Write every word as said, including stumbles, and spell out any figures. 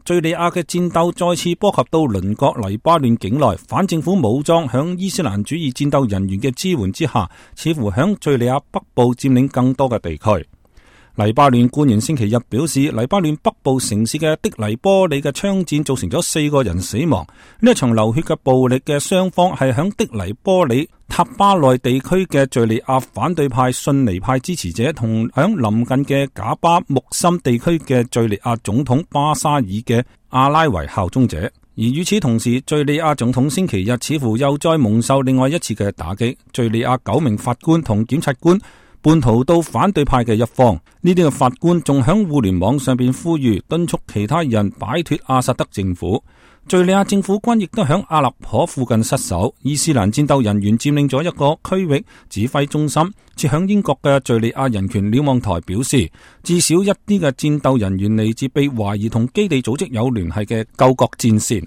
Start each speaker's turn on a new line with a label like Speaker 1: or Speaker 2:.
Speaker 1: 敘利亞嘅戰鬥再次波及到鄰國黎巴嫩境內，反政府武裝響伊斯蘭主義戰鬥人員嘅支援之下，似乎響敘利亞北部佔領更多嘅地區。黎巴嫩官員星期日表示，黎巴嫩北部城市嘅的黎波里嘅槍戰造成咗四個人死亡。呢一場流血嘅暴力嘅雙方係響的黎波里塔巴內地區嘅敘利亞反對派遜尼派支持者，同響鄰近嘅賈巴木森地區嘅敘利亞總統巴沙爾嘅阿拉維效忠者。而與此同時，敘利亞總統星期日似乎又再蒙受另外一次嘅打擊。敘利亞九名法官同檢察官叛逃到反對派嘅一方，呢啲嘅法官仲響互聯網上邊呼籲敦促其他人擺脫阿薩德政府。敘利亞政府軍亦都響阿勒頗附近失守，伊斯蘭戰鬥人員佔領咗一個區域指揮中心。設響英國嘅敘利亞人權瞭望台表示，至少一啲嘅戰鬥人員嚟自被懷疑同基地組織有聯繫嘅救國戰線。